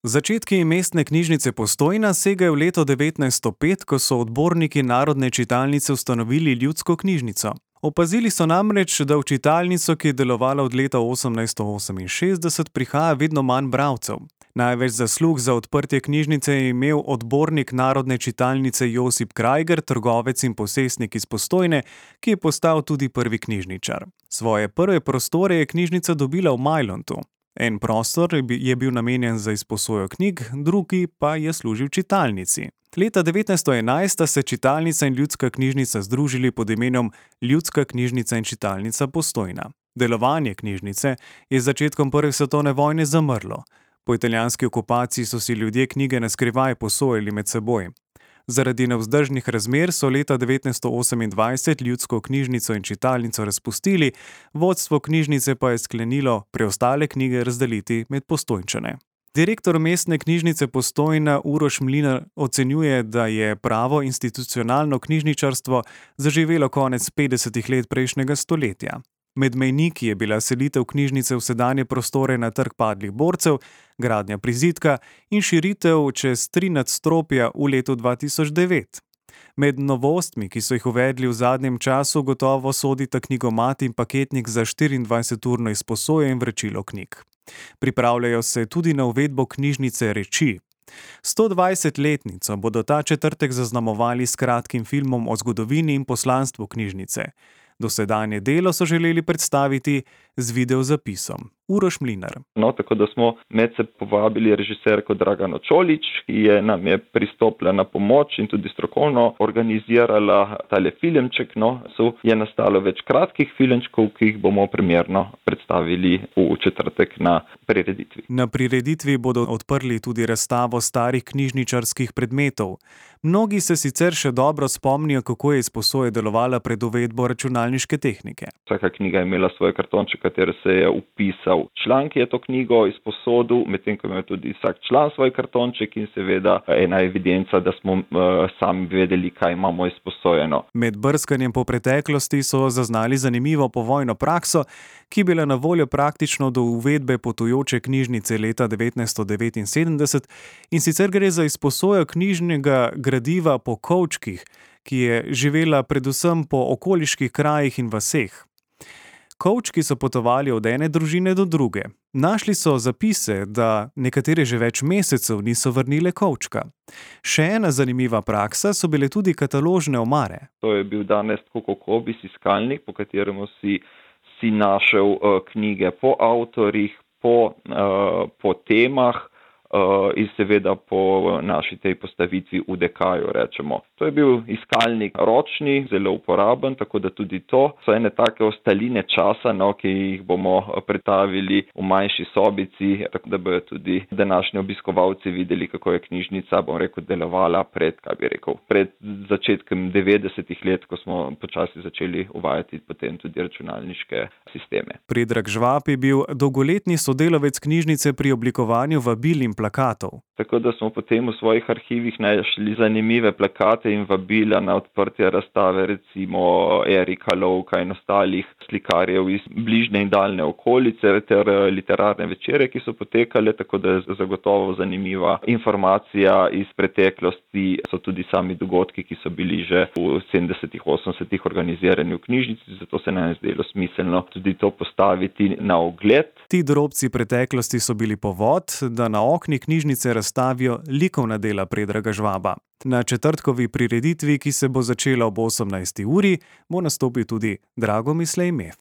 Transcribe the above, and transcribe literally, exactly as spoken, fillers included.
Začetki mestne knjižnice Postojna segajo v leto devetnajststo pet, ko so odborniki Narodne čitalnice ustanovili ljudsko knjižnico. Opazili so namreč, da v čitalnico, ki je delovala od leta osemnajststo oseminšestdeset, prihaja vedno manj bralcev. Največ zaslug za odprtje knjižnice je imel odbornik Narodne čitalnice Josip Krajger, trgovec in posestnik iz Postojne, ki je postal tudi prvi knjižničar. Svoje prve prostore je knjižnica dobila v Majlontu. En prostor je bil namenjen za izposojo knjig, drugi pa je služil čitalnici. Leta devetnajststo enajst sta se čitalnica in ljudska knjižnica združili pod imenom Ljudska knjižnica in čitalnica Postojna. Delovanje knjižnice je z začetkom prve svetovne vojne zamrlo. Po italijanski okupaciji so si ljudje knjige na skrivaj posojali med seboj. Zaradi nevzdržnih razmer so leta devetnajststo osemindvajset ljudsko knjižnico in čitalnico razpustili, vodstvo knjižnice pa je sklenilo preostale knjige razdeliti med Postojnčane. Direktor mestne knjižnice Postojna Uroš Mlinar ocenjuje, da je pravo institucionalno knjižničarstvo zaživelo konec petdesetih let prejšnjega stoletja. Med mejniki je bila selitev knjižnice v sedanje prostore na Trg padlih borcev, gradnja prizidka in širitev čez tri nadstropja v letu dva tisoč devet. Med novostmi, ki so jih uvedli v zadnjem času, gotovo sodita knjigomat in paketnik za štiriindvajseturno izposojo in vračilo knjig. Pripravljajo se tudi na uvedbo knjižnice Reči. stodvajsetletnico bodo ta četrtek zaznamovali s kratkim filmom o zgodovini in poslanstvu knjižnice. Dosedanje delo so želeli predstaviti z videozapisom. Uroš Mlinar. No, tako da smo medse povabili režiserko Dragano Čolić, ki je nam je pristopila na pomoč in tudi strokovno organizirala tale filmček. No, so je nastalo več kratkih filmčkov, ki jih bomo primerno predstavili v četrtek na prireditvi. Na prireditvi bodo odprli tudi razstavo starih knjižničarskih predmetov. Mnogi se sicer še dobro spomnijo, kako je izposoja delovala pred uvedbo računalniške tehnike. Vsaka knjiga je imela svoj kartonček, katero se je upisal član, ki je to knjigo izposodil, medtem ko ima tudi vsak član svoj kartonček in seveda ena evidenca, da smo uh, sami vedeli, kaj imamo izposojeno. Med brskanjem po preteklosti so zaznali zanimivo povojno prakso, ki je bila na voljo praktično do uvedbe potujoče knjižnice leta devetnajststo devetinsedemdeset, in sicer gre za izposojo knjižnega gradiva po kovčkih, ki je živela predvsem po okoliških krajih in vaseh. Kovčki so potovali od ene družine do druge. Našli so zapise, da nekatere že več mesecev niso vrnile kovčka. Še ena zanimiva praksa so bile tudi kataložne omare. To je bil danes tako kot obis iskalnik, po katerem si, si našel uh, knjige po avtorjih, po, uh, po temah, Uh, in seveda po naši tej postavitvi v dekaju, rečemo. To je bil iskalnik ročni, zelo uporaben, tako da tudi to so ene take ostaline časa, no, ki jih bomo predstavili v manjši sobici, tako da bojo tudi današnji obiskovalci videli, kako je knjižnica, bom rekel, delovala pred, kaj bi rekel, pred začetkom devetdesetih let, ko smo počasi začeli uvajati potem tudi računalniške sisteme. Predrag Žvab je bil dolgoletni sodelavec knjižnice pri oblikovanju vabil in plakatov. Tako da smo potem v svojih arhivih našli zanimive plakate in vabila na odprtje razstave, recimo Erika Lovka in ostalih slikarjev iz bližnje in daljne okolice ter literarne večere, ki so potekale, tako da je zagotovo zanimiva informacija iz preteklosti. So tudi sami dogodki, ki so bili že v sedemdesetih, osemdesetih organizirani v knjižnici, zato se nam je zdelo smiselno tudi to postaviti na ogled. Ti drobci preteklosti so bili povod, da na okni knjižnice razstavijo likovna dela Predraga Žvaba. Na četrtkovi prireditvi, ki se bo začela ob osemnajsti uri, bo nastopil tudi Drago Mislej Mef.